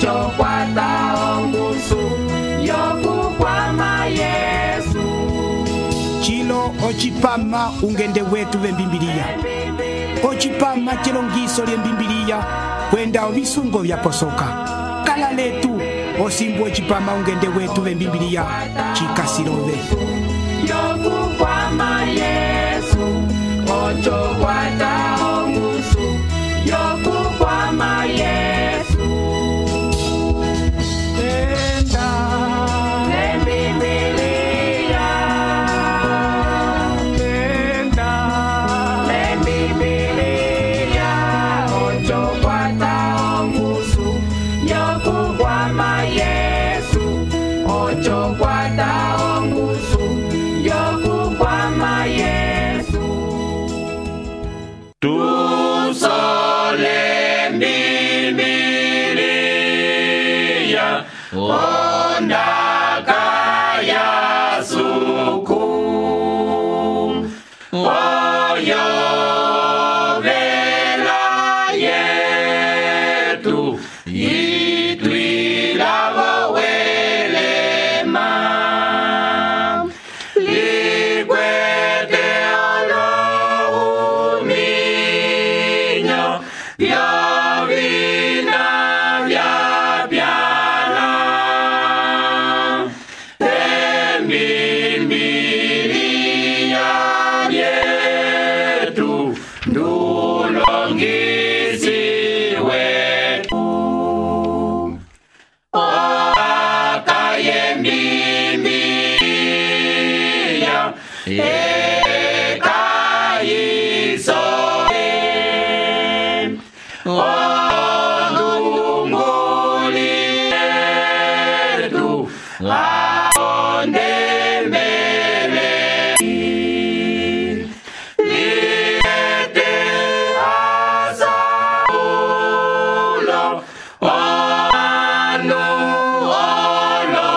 ocho kwata ongusu yokukwama Yesu. Chilo ochipama ungende wetu vembimbiliya. Ochipama chilongiso lyembimbiliya kwenda ovisungo vyaposoka. Kala letu osimbu ochipama ungende wetu vembimbiliya chikasilove. Yokukwama Yesu, ocho kwata ongusu yokukwama Yesu. Tenda lembimbiliya, tenda lembimbiliya, ocho kwata ongusu yokukwama Yesu, ocho kwata ongusu yokukwama Yesu. Tusole mbimbiliya ondaka ya suku oyo vela yetu itwilavo welema likwete olohuminyo vyovina vyapyana embimbiliya lyetu ndulongisi wetu akayembimbiliya ekayiso ondunguli yetu aondembele liete asaulo anu olo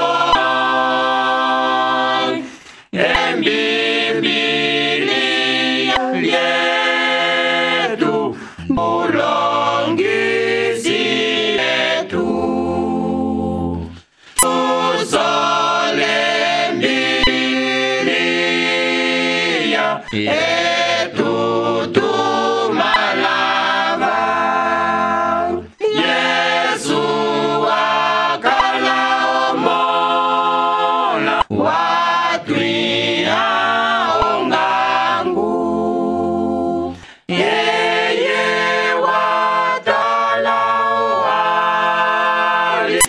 embimbiliya lyetu ulongisi yetu usole mbimbiliya yetu tumalava Yesu akala omola watwiha ongangu yeye watala wali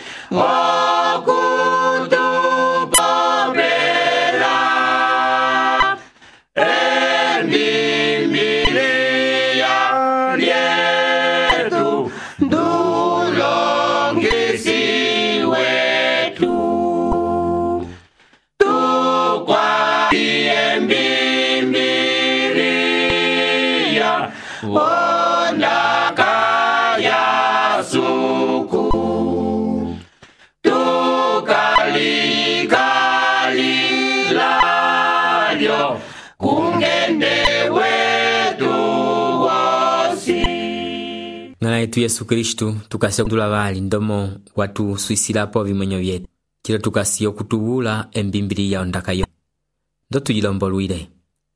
okutupopela embimbiliya lyetu ndulongisi wetu tukwati embimbiliya ondaka ya suku tukalikalilyo kungende wetu wosi. Ng'ala yetu Yesu Kristu tukasiya kutula vali ndomo watu swisilapo vimonyo vyetu chilo tukasiya okutubula embimbiliya ondaka yo ndo tuyilombolwile.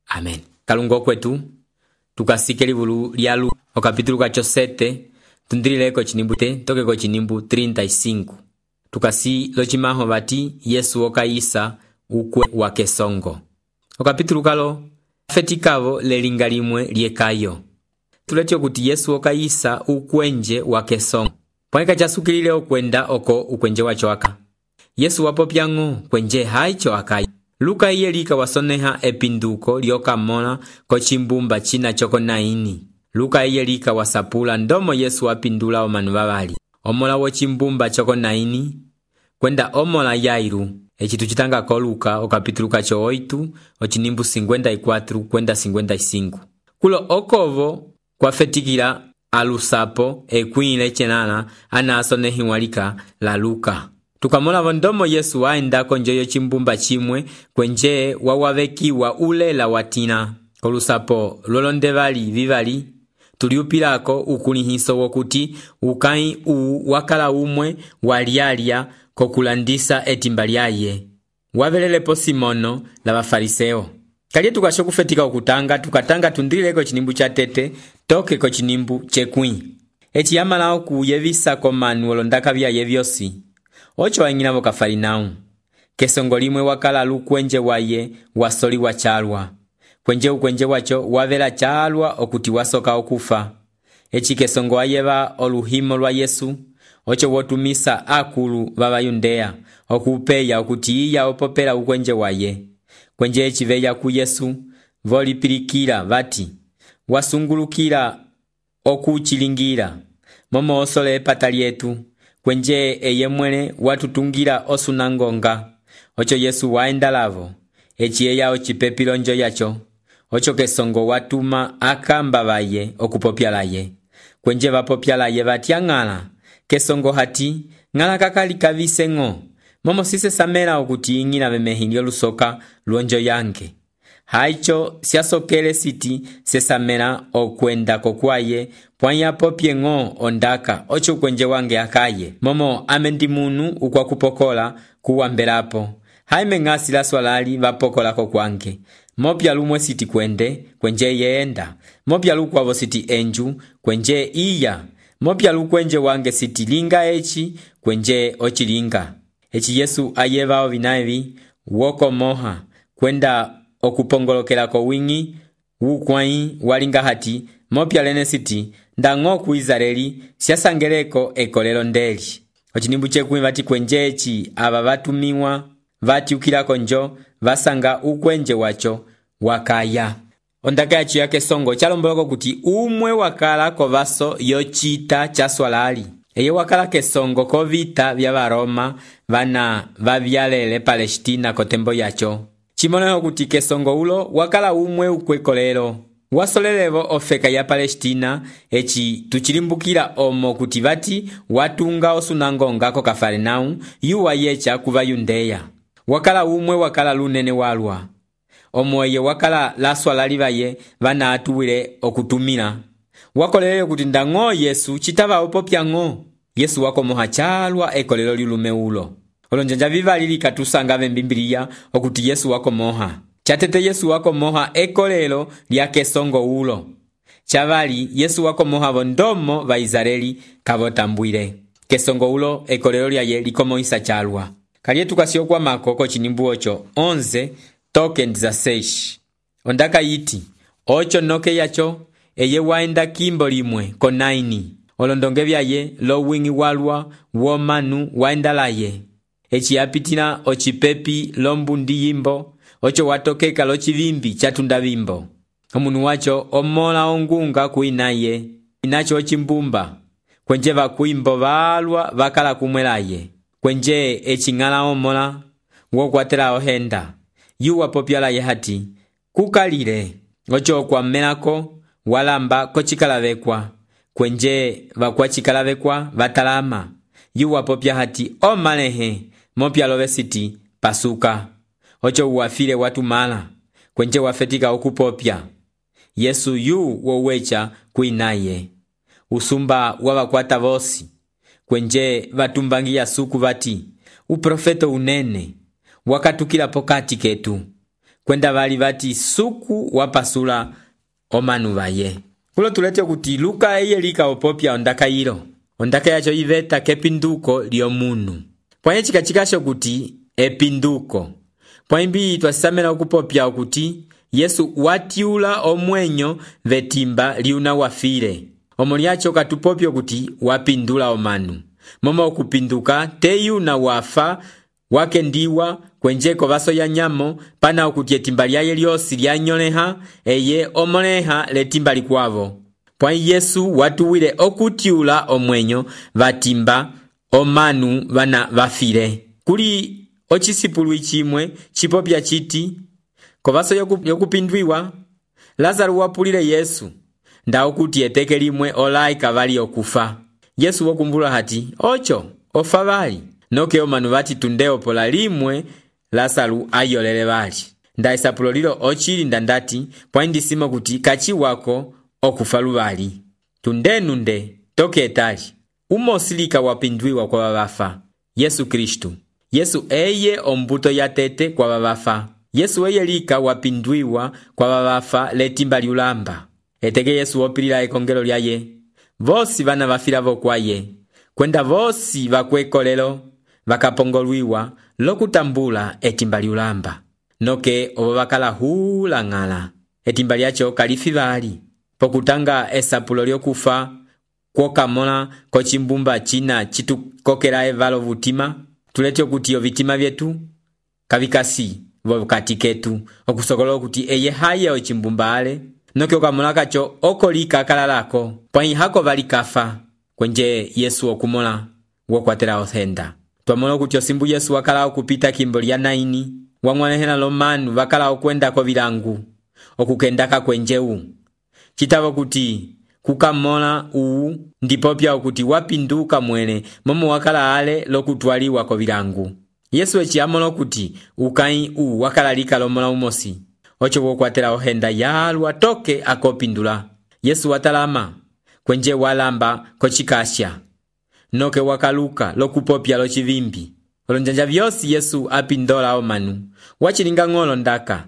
Amen. Kalungo kwetu tukasike livulu lya Luka okapitulu kacho 7 tundilileko chinimbu tokeko chinimbu 35 tukasi lochimaho bati Yesu okayisa ukwe wa kesongo. Okapitulu kalo fetikavo lelinga limwe lyekayo tuletyo kuti Yesu okayisa ukwenje wa kesongo pwaneka chasukilile okwenda oko ukwenje wacho aka Yesu wapopyang'o kwenje haicho akayi. Luka iye lika wasoneha epinduko lyokamona ko chimbumba china choko 9. Luka iye lika wasapula ndomo Yesu wapindula omanu vavali omola wo chimbumba choko 9 kwenda omola Yairu echitu chitanga ko Luka okapitulu kacho 8 ochinimbu 54 kwenda 55. Kulo okovo kwafetikila alusapo ekwile chenana anasonehiwalika la Luka. Tukamola vondomo Yesu waenda konjoyo chimbumba chimwe kwenje wawavekiwa ulela watina. Kolusapo lolonde vali vivali tuliupilako ukulihiso wokuti ukai wakala umwe walialya kokulandisa etimba lyaye. Wavelelepo Simono la bafariseo. Kalye tukasho kufetika okutanga tukatanga tundileko chinimbu cha tete toke ko chinimbu chekwi. Eti yamala okuyevisa komanu olondaka byaye byosi. Ocho wang'inabo Kafarinau. Kesongo limwe wakala lukwenje waye wasoli wachalwa. Ukwenje wacho wavela chalwa okuti wasoka okufa. Echi kesongo ayeba oluhimo lwa Yesu. Ocho wotumisa akulu baba Yudea okupeya okuti iya opopela ukwenje waye. Kwenje echiveya ku Yesu volipilikira vati wasungulukira okuchilingira momo osole epata lyetu. Kwenje eyemwene watutungira osunangonga. Ocho Yesu waenda lavo echiyeya ochipepilonjo yacho. Ocho kesongo watuma akamba baye okupopyalaye. Kwenje vapopyalaye vatyang'ala kesongo hati ng'ala kakali kavisengo momo sise samela okuti ing'ina bemehilyo lusoka luonjo yange. Haicho siasokele siti sesamela okwenda kokwaye pwanya popye ng'o ondaka ocho kwenje wange akaye momo amendi munu ukwa kupokola kuwambelapo. Haime ng'asi la swalali vapokola kokwange. Mopya lumwe siti kwende kwenje yeenda. Mopya lukwavo siti enju kwenje iya. Mopya lukwenje wange siti linga echi kwenje ochilinga. Echi Yesu ayevao vinaevi woko moha kwenda okupongolokela ko wingi wukwai walinga hati. Mopya lene siti ndang'o ku Israeli siasangeleko ekolelo ndeli. Ochinimbu chekwi vati kwenje echi aba vatumiwa vatiukilako njo vasanga ukwenje wacho wakaya. Ondaka yacho yake songo chalomboloko kuti umwe wakala kovaso yochita chaswalali. Eye wakala kesongo kovita vya Baroma vana vavyalele Palestina kotembo yacho. Chimoneho kuti kesongo ulo wakala umwe ukwekolelo. Wasolelevo ofeka ya Palestina echi tuchilimbukila omo kuti vati watunga osunangonga ko Kafarinau yuwa yecha kuva Yudea. Wakala umwe wakala lunene walwa. Omoye wakala laswalali baye vana atuwile okutumila. Wakolele kuti ndang'o Yesu chitava opopya ng'o. Yesu wako moha chalwa ekolelo lilume ulo. Olonjanja vivalili katusanga mbimbilia okuti Yesu wako moha. Chatete Yesu wako moha ekolelo lya kesongo ulo. Chavali Yesu wako moha vondomo va Israeli kavotambwile. Kesongo ulo ekolelo lya ye likomoisa chalwa. Kalye tukasio kwa makoko chinimbu ocho 11 toke ndiza 6. Ondaka yiti ocho noke yacho eye waenda kimbo limwe ko 9. Olondonge vyaye lo wingi walwa womanu waenda laye. Echi yapitila ochipepi lombundi yimbo. Ocho watokeka lo chivimbi chatunda vimbo. Omunu wacho omola ongunga kuinaye. Inacho ochimbumba. Kwenje vakuimbo valwa vakala kumwelaye. Kwenje echingala omola wokwatela ohenda. Yuwa popyalaye hati kukalile. Ocho kwa melako walamba kochikalavekwa. Kwenje vakwa chikalavekwa vatalama. Yuwa popya hati omalehe mopya love siti pasuka. Ocho uwafile watu mala. Kwenje wafetika okupopya. Yesu yu wowecha kuinaye. Usumba wabakwata vosi. Kwenje vatumbangia suku vati uprofeto unene wakatukila pokati ketu. Kwenda vali vati suku wapasula omanu vaye. Kulo tulete kuti Luka eye lika opopya ondaka hilo. Ondaka yacho iveta kepinduko liomunu. Pwanye chikachikasho kuti epinduko. Pwaimbi twasisamela okupopya okuti Yesu watiula omwenyo vetimba liuna wafile. Omoliacho katupopyo kuti wapindula omanu. Momo okupinduka teyuna wafa wakendiwa kwenjeko vaso ya nyamo pana okuti etimba lyaye lyosi lyanyoleha eye omoleha letimba likwavo. Pwa Yesu watuwile okutiula omwenyo vatimba omanu vana vafile. Kuli ochisipulu ichimwe chipopya chiti kovaso yokupindwiwa Lazaro wapulile Yesu nda okuti eteke limwe olai kavali okufa. Yesu wokumbula hati ocho ofa vali noke omanu vati tundeo pola limwe Lazaro ayolele vali. Nda isapulo lilo ochili ndandati pwa indisimo kuti kachi wako okufa luvali. tundenunde toke etali umosilika wapindwiwa kwa babafa Yesu Kristu. Yesu eye ombuto ya tete kwa babafa. Yesu eye lika wapindwiwa kwa babafa letimba liulamba. Eteke Yesu opilila ekongelo lyaye. Vosi bana bafila vokwaye. Kwenda vosi bakwekolelo bakapongolwiwa lokutambula etimba liulamba. Noke obo bakala hula ngala. Etimba lyacho kalifibali. Pokutanga esapulo lyokufa kwokamola kochimbumba china chitukokela evalo vutima. Tulete okuti ovitima vyetu kavikasi vokati ketu okusokolola okuti eye haye ochimbumba ale. Noke okamola kacho okolika kalalako pwai hako valikafa kwenje Yesu okumola wokwatela othenda. Twamola okuti osimbu Yesu wakala okupita kimbo lya 9 wang'wanehela lomanu wakala okwenda kovilangu okukendaka kwenjeu. Chitavo kuti kukamola uu ndipopya okuti wapinduka mwene momo wakala ale lokutwaliwa kovilangu. Yesu echi amola okuti ukai uu wakala lika lomola umosi ocho wokwatela ohenda yalwa toke akopindula. Yesu watalama kwenje walamba kochikasha noke wakaluka lokupopya lochivimbi. Olonjanja vyosi Yesu apindola omanu wachilinga ng'olo ndaka.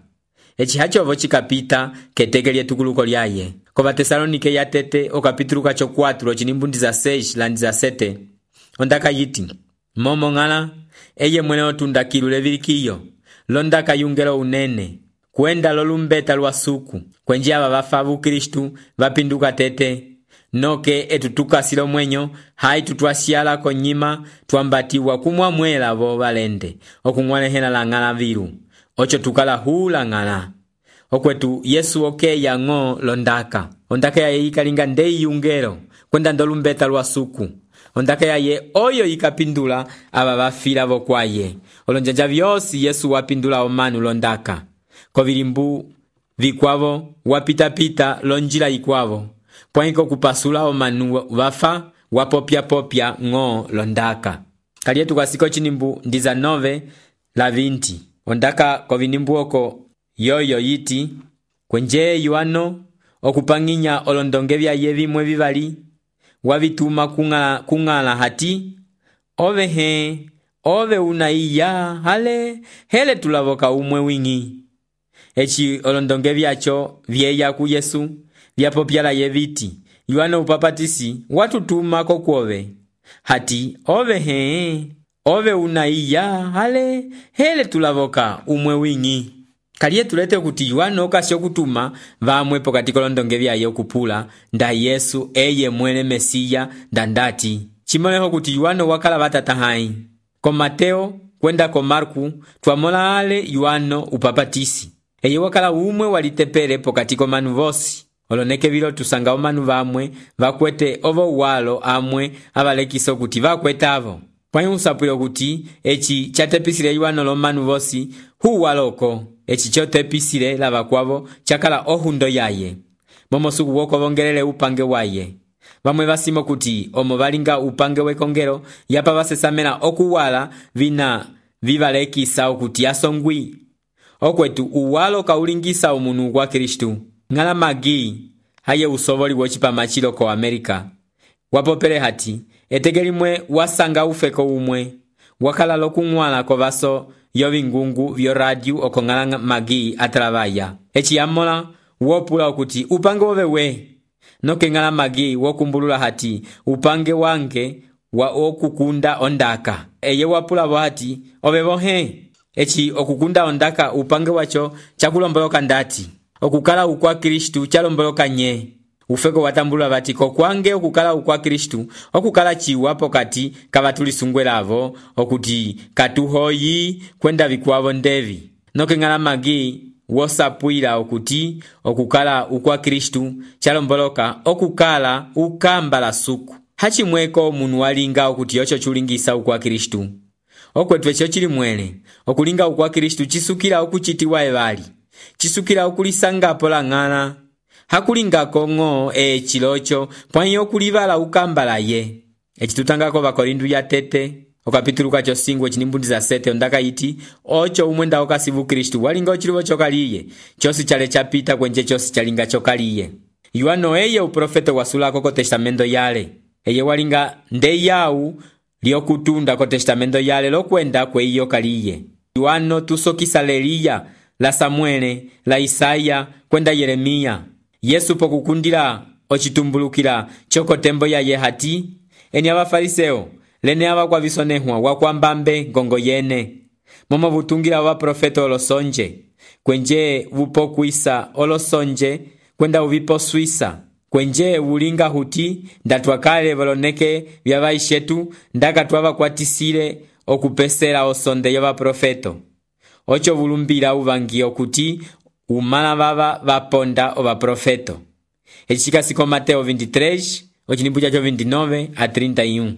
Echi hachovo chikapita keteke lyetukuluko lyaye. Kova Tesalonike ya tete okapitulu kacho 4 chinimbundi za 6 landi za 7 ondaka yiti momo ngala eye mwene otundakilu levilikiyo londaka yungelo unene kwenda lolumbeta lwasuku kwenje aba bafa Kristu vapinduka tete noke etutukasilo mwenyo hai tutwasiala konyima twambatiwa kumwa mwela vo balende okung'wanehela la ngala viru ocho tukala hula ngala. Okwetu Yesu okeya ng'o londaka. Ondaka yaye ikalinga ndei yungelo kwenda ndolumbeta lwasuku. Ondaka yaye oyo ikapindula aba bafila vokwaye. Olonjanja vyosi Yesu wapindula omanu londaka. Kovilimbu vikwavo wapita lonjila ikwavo. Pwaiko kupasula omanu vafa wapopya ng'o londaka. Kalietu kasiko chinimbu ndiza 9 la 20. Ondaka kovinimbu oko yoyo yiti kwenje yuano okupanginya olondonge vyaye vimwe vivali wavituma kung'ala hati ove unaiya hale hele tulavoka umwe wingi. Echi olondonge vyacho vyeya ku Yesu vyapopyala ye viti yuano upapatisi watutuma kokwove hati ove unaiya hale hele tulavoka umwe wingi. Kaliye tulete kuti yuano kasio kutuma vamwe pokati kolondonge vyaye okupula nda Yesu eye mwene Mesiya ndandati. Chimoleho kuti yuano wakala batata hai. Ko Mateo kwenda ko Marku twamola ale yuano upapatisi. Eye wakala umwe walitepele pokati ko manu vosi. Oloneke vilo tusanga omanu vamwe vakwete ovo walo amwe avalekiso kuti vakwetavo. Pwai usapwilo kuti echi chatepisile yuano lomanu vosi hu waloko. Echi chotepisile lava kwavo chakala ohundo yaye. Momosuku woko vongelele upange waye. Vamwe vasimo kuti omo valinga upange wekongelo yapa vasesamela okuwala vina vivalekisa okuti asongwi. Okwetu uwalo kaulingisa umunu kwa Kristu. Ngala magi haye usovoli wochipamachilo ko Amerika. Wapopele hati etegelimwe wasanga ufeko umwe. Wakala lokung'wala ko vaso yovingungu vyo radio okongala magi atrabaya. Echi yamola wopula okuti upange ovewe. Noke ngala magi wokumbulula hati upange wange wa okukunda ondaka. Eye wapula hati ovevohe. Echi okukunda ondaka upange wacho chakulomboloka ndati. Okukala ukwa Kristu chalomboloka nye. Ufeko watambulula bati kokwange okukala ukwa Kristu okukala chiwapo kati kavatulisungwelavo okuti katuhoyi kwenda vikwavo ndevi. Noke ngala magi wosapwila okuti okukala ukwa Kristu chalomboloka okukala ukambala suku. Hachimweko munu walinga okuti yocho chulingisa ukwa Kristu. Okwetu echo chili mwele okulinga ukwa Kristu chisukila okuchitiwa evali. Chisukila okulisangapo la ng'ala. Hakulinga kongo chilocho pwanyi okulivala ukambala ye. Echitutangako Bakorindu ya tete okapitulu kacho singwe chinimbundi za 7 ondaka yiti ocho umwenda okasivu Kristu walinga ochilivo chokaliye chosi chale chapita kwenje chosi chalinga chokaliye. Yohano eye uprofeta wasulako ko testamento yale. Eye walinga ndeyawu lyokutunda ko testamento yale lokwenda kweiyo kaliye. Yohano tusokisa Eliya, la Samuele, la Isaya, kwenda Yeremia. Yesu pokukundila ocitumbulukila choko tembo ya yehati, eni abafariseo lene abakwa bisonehwa wakwambambe ngongo yene. Momo butungila wa profeta olosonje, kwenje bupokwisa olosonje, kwenda ubipo swisa. Kwenje ulinga huti, ndatwakale baloneke byabaishetu, ndaka twabakwatisile okupesela osonde yoba profeto. Ocho bulumbila ubangi okuti umala baba baponda oba profeto. Echikasiko Mateo 23, ochinimbu chacho 29 a 31.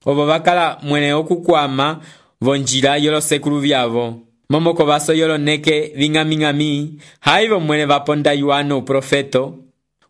Obo bakala mwene okukwama vonjila yolo sekulu byabo. Momoko baso yolo neke vingami haibo mwene baponda Yohano profeto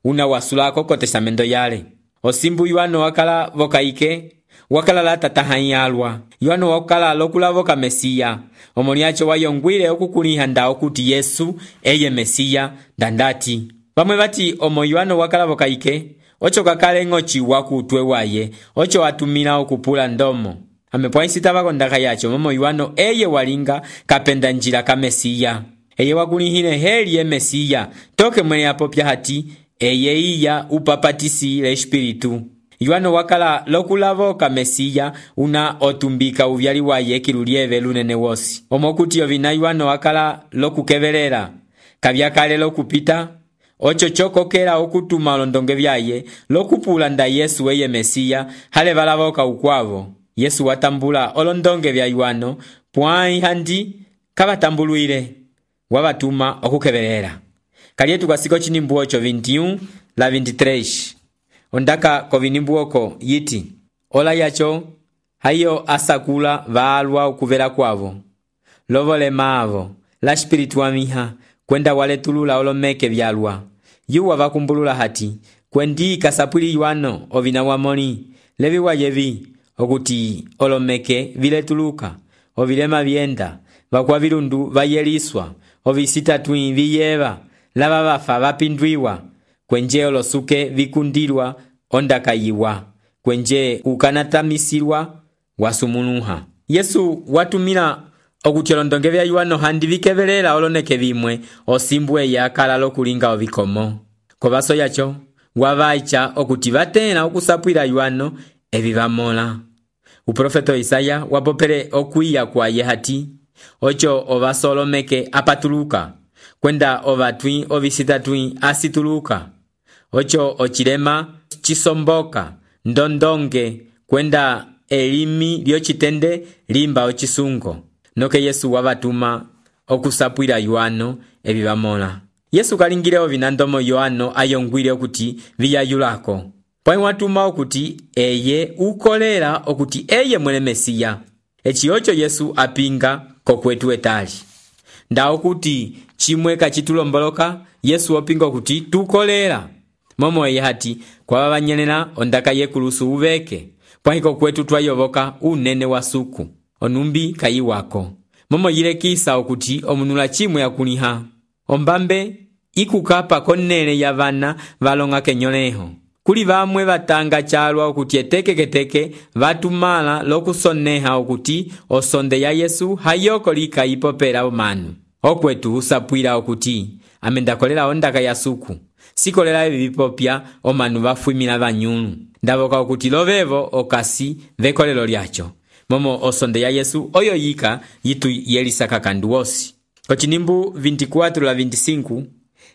una wasulako ko testamento yale. Osimbu Yohano wakala vokaike, wakala la tatahanyalwa. Yohano wakala lokula voka Mesiya. Omoniacho wayongwile okukuliha nda okuti Yesu eye Mesiya dandati. Bamwe bati omo Yohano wakala vokaike, ocho kakale ngochi wakutwe waye, ocho watumila okupula ndomo. Amepwaisita bakondaka yacho momo Yohano eye walinga kapenda njila ka Mesiya. Eye wakulihine heli ye Mesiya, toke mwene apopya hati, eye iya upapatisi le espiritu. Yohano wakala lokulavo ka Mesiya una otumbika uvyali waye kilulieve lunene wosi. Omokuti ovina Yohano wakala lokukebelela, kabyakale lokupita, ocho chokokela okutuma olondonge byaye, lokupula nda Yesu eye Mesiya, hale balavoka ukwavo. Yesu watambula olondonge bya Yohano, pwai handi kabatambuluile, wabatuma okukebelela. Kalietu kasiko chinimbu ocho 21 la 23. Ondaka ko vinimbu oko yiti, ola yacho, hayo asakula vaalwa ukuvela kwavo. Lovole maavo, la spiritu wa miha, kwenda wale tulula olomeke vyalwa. Yuwa vakumbulula hati, kwendi kasapwili Yohano ovina wamoni, levi wayevi, okuti olomeke vile tuluka, ovilema vienda, vakwa vilundu vayeliswa, ovisita tui viyeva, lava vafa vapindwiwa, kwenje olosuke vikundilwa ondakayiwa, kwenje ukanatamisilwa wasumunuha. Yesu watumila okuti olondonge bya Yohano handi vikebelela oloneke bimwe osimbwe yakala lokulinga obikomo. Kobaso yacho wabaicha okuti batena okusapwila Yohano ebibamola. Uprofeto Isaya wapopele okwiya kwa yehati, ocho obaso olomeke apatuluka, kwenda obatwi obisita twi asituluka. Ocho ochilema chisomboka, ndondonge, kwenda elimi lyochitende limba ochisungo. Noke Yesu wabatuma okusapwila Yohano ebibamola. Yesu kalingile ovinandomo Yohano ayongwile okuti viyayulako. Pwai watuma okuti eye ukolela okuti eye mwene Mesiya. Echi ocho Yesu apinga kokwetu etali. Nda okuti chimwe kachitulomboloka, Yesu opinga okuti tukolela. Momo eye hati kwa babanyelela ondaka yekulusu uveke. Pwai kokwetu twayoboka unene wa suku. Onumbi kayi wako. Momo yile kisa okuti omunula chimwe yakuliha. Ombambe ikukapa konele ya vana valonga kenyoleho. Kuli vamwe batanga chalwa okuti etekeketeke vatumala lokusoneha okuti osonde ya Yesu hayoko lika ipopela omanu. Okwetu usapwila okuti amendakolela ondaka ya suku. Sikolela ebibipopya omanu bafwimila banyulu. Ndaboka okuti lovevo okasi vekolelo lyacho. Momo osonde ya Yesu oyo yika yitu yelisa kakanduosi. Kochinimbu 24 la 25,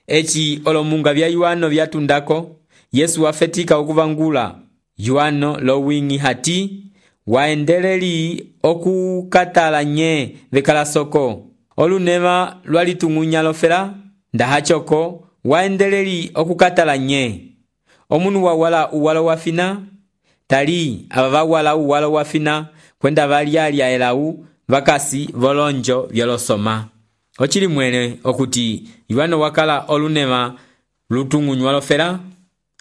echi olomunga bya Yohano byatundako, Yesu wafetika okuvangula Yohano lowingi hati, waendeleli okukatala nye vekalasoko. Olunema lwalitung'unya lofela, ndahachoko waendeleli okukatala nye. Omunu wawala uwalo wafina, tali ababa wala uwalo wafina, kwenda valyalya elau vakasi volonjo vyolosoma. Ochili mwene okuti Yohano wakala olunema lutung'unywa lofela,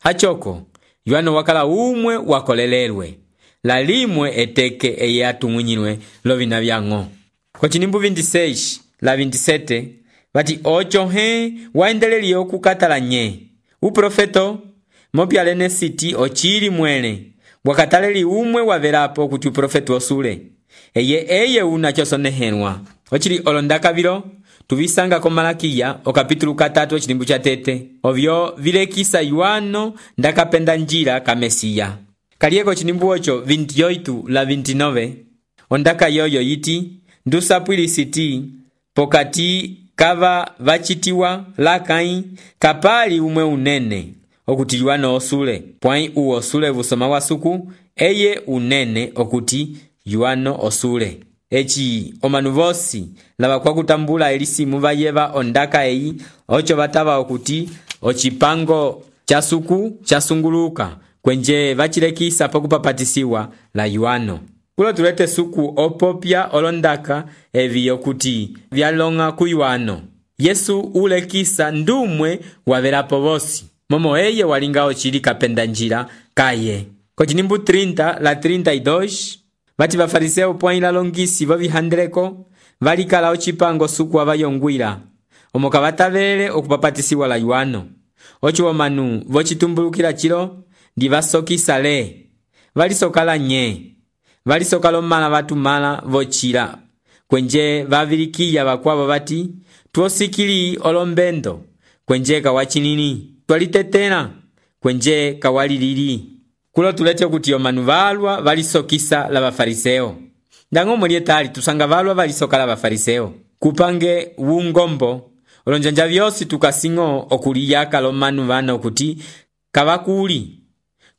hachoko Yohano wakala umwe wakolelelwe, la limwe eteke eye atung'unyilwe lovina byang'o. Kochinimbu 26 la 27, bati ocho he waendeleli okukatala nye. Uprofeto mopyalene siti ocili mwele wakataleli umwe wavelapo kuti uprofetu osule eye una chosonehelwa ocili olondaka vilo tuvisanga ko Malakiya okapitulu 3 ocilimbu cha tete ovyo vilekisa Yohano ndakapenda njila ka Mesiya kaliyeko cilimbu ocho 28 la 29 ondaka yoyo yiti ndusapwili siti pokati kava vachitiwa lakai kapali umwe unene okuti Yohano osule pwai osule vusoma wa suku eye unene okuti Yohano osule eci omanu vosi lava kwa kutambula elisimu vayeva ondaka eyi ocho vatava okuti ocipango cha suku chasunguluka kwenje vachilekisa pokupapatisiwa la Yohano kulo tulete suku opopya olondaka evi okuti vyalonga ku Yohano Yesu ulekisa ndumwe wavelapo vosi momo eye walinga ocili kapenda njila kaye kocinimbu 30 la 32 vati vafariseo pwai la longisi vovihandreko valikala ocipango suku avayongwila omo kavatavele okupapatisiwa la Yohano oci omanu vocitumbulukila cilo ndi vasokisa le valisokala nye valisokala omala vatumala vocila kwenje vavilikiya vakwavo vati tuosikili olombendo kwenje kawacinini twalitetela kwenje kawalilili kulo tulete kuti omanu valwa valisokisa la vafariseo ndango mulietali tusanga valwa valisokala vafariseo kupange wungombo olonjanja vyosi tukasingo okuliyaka lomanu vana okuti kavakuli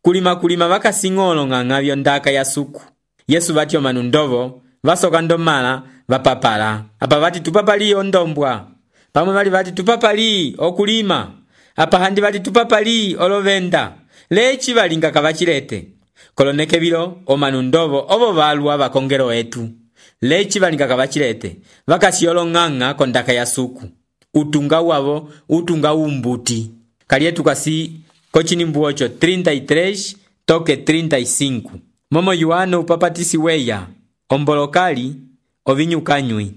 kulima vakasingo olong'ang'a vyondaka ya suku Yesu vati omanu ndovo vasoka ndomala vapapala apa vati tupapali ondombwa pamwe vali vati tupapali okulima apa handi vati tupapali olovenda leci valinga kavachilete koloneke vilo omanu ndovo ovo valwa vakongelo etu leci valinga kavachilete vakasiolong'ang'a kondaka ya suku utunga wavo utunga umbuti kalietu kasi kocinimbu ocho 33 toke 35 momo Yohano upapatisi weya ombolokali ovinyukanywi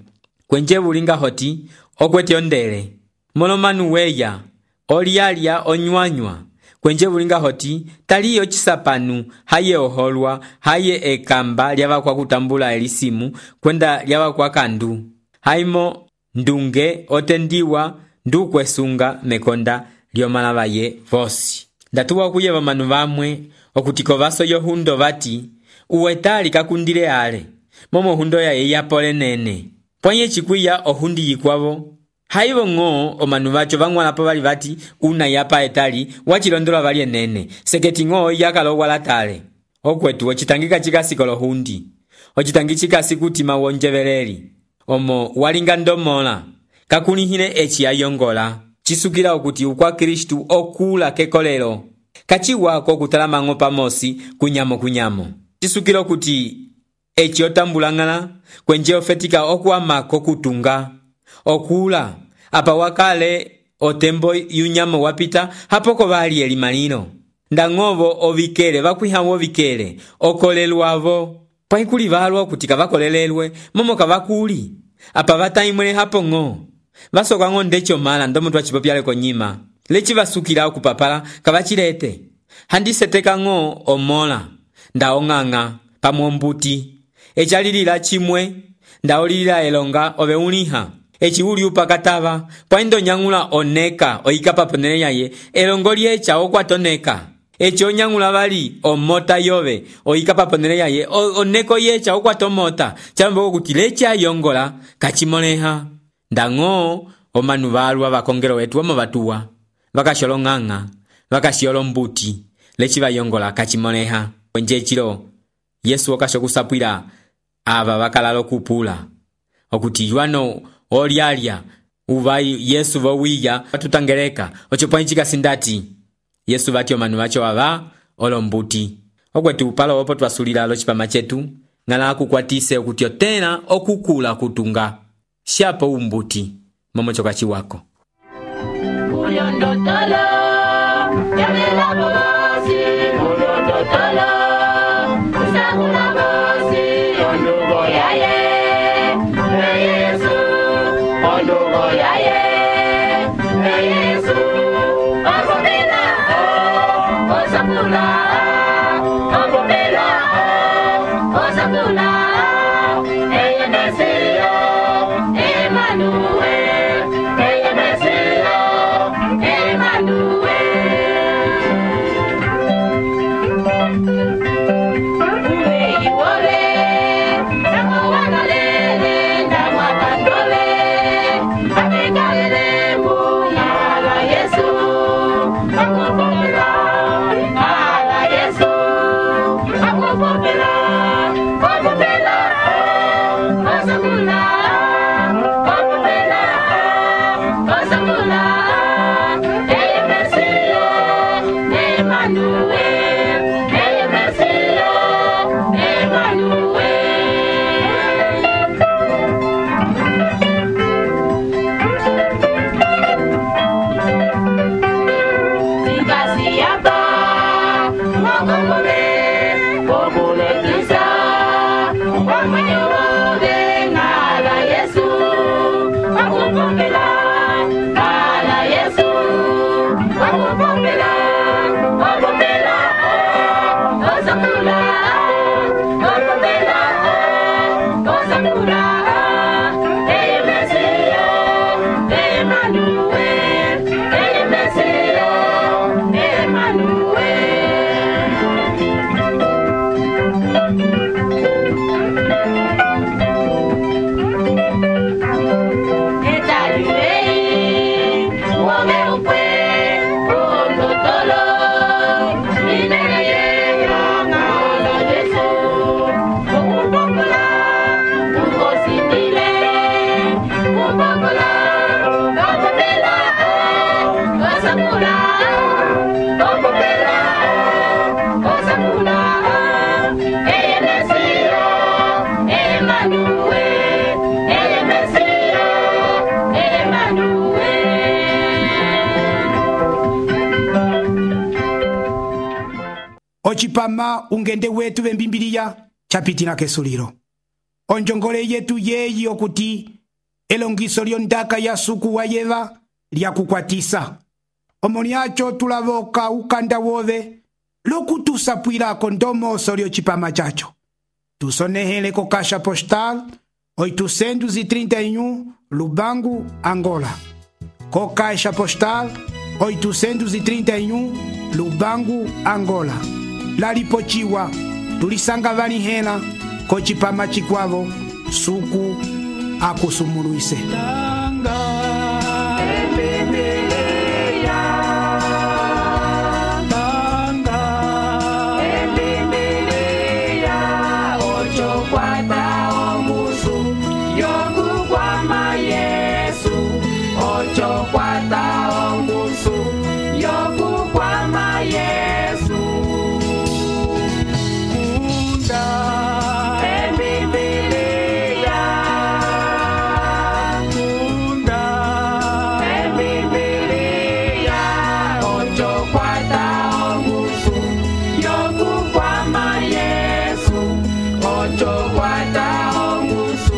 kwenje bulinga hoti okwete ondele molomanu weya olialia onywanywa kwenje bulinga hoti taliyo cisapanu haye oholwa haye ekamba lyava kwa kutambula elisimu kwenda lyava kwa kandu haimo ndunge otendiwa ndukwesunga mekonda lyomala ye vosi ndatuwa kuyeva manu vamwe okutiko vaso yohundo vati uwetali kakundile ale momo hundo ya yapole nene pwanye chikuya ohundi yikwavo haivo ng'o omanu vacho vang'walapo vali vati una yapa etali wachilondola vali enene seketi ng'o yakalowa latale okwetu ocitangika chikasikolo hundi ocitangi chikasi kuti mawonjeveleli omo walinga ndomola kakulihile eci ayongola chisukila okuti ukwa Kristu okula kekolelo kachiwako kutalama ng'o pamosi kunyamo chisukila okuti eci otambulang'ala kwenje ofetika okuamako kutunga okula apa wakale otembo yunyamo wapita hapoko vali elimalilo ndang'ovo ovikele vakwihawo vikele okolelwavo paikuli valwa kuti kavakolelelwe momo kavakuli apa vataimwele hapo ng'o vasoka ng'o ndecho mala ndomo twachipopyale konyima leci vasukila okupapala kavachilete handiseteka ng'o omola ndaong'ang'a pamwombuti echalilila chimwe ndaolilila elonga oveuliha eci uli upakatava pwaindo nyang'ula oneka oikapa ponele yaye elongo liecha okwatoneka eci onyang'ula vali omota yove oikapa ponele yaye oneko yecha okwatomota chamboko kuti leci ayongola kachimoleha ndang'o omanu valwa vakongelo wetu omo vatuwa vakasholong'ang'a vakashiolombuti leci vayongola kachimoleha kwenje chilo Yesu okashokusapwila ava vakalalo kupula okuti Yohano olialia uvai Yesu vowiya vatutangeleka ocho pwanchika sindati Yesu vati omanu vacho ava olombuti okwetu upalo opo twasulila lo chipama chetu ngala kukwatise okuti otena okukula kutunga shapo umbuti momo chokachi wako Uyondotala yamela bosi uyondotala usagula bosi ondugo yaye Yesu ondugo yaye Yesu akobina Ocipama ungende wetu vembimbiliya chapitina kesulilo. Onjongole yetu yeyi okuti elongiso lyondaka ya suku wa yeva lyakukwatisa. Omoni acho tulavoka ukanda wove lokutusapwilako ndomoso lyocipama chacho. Tusonehele ko Caixa Postal 831 Lubangu, Angola. Ko Caixa Postal 831 Lubangu, Angola. Lalipochiwa tulisanga vanihela ko cipama cikwavo suku akusumuluise. Ocho guarda ongusu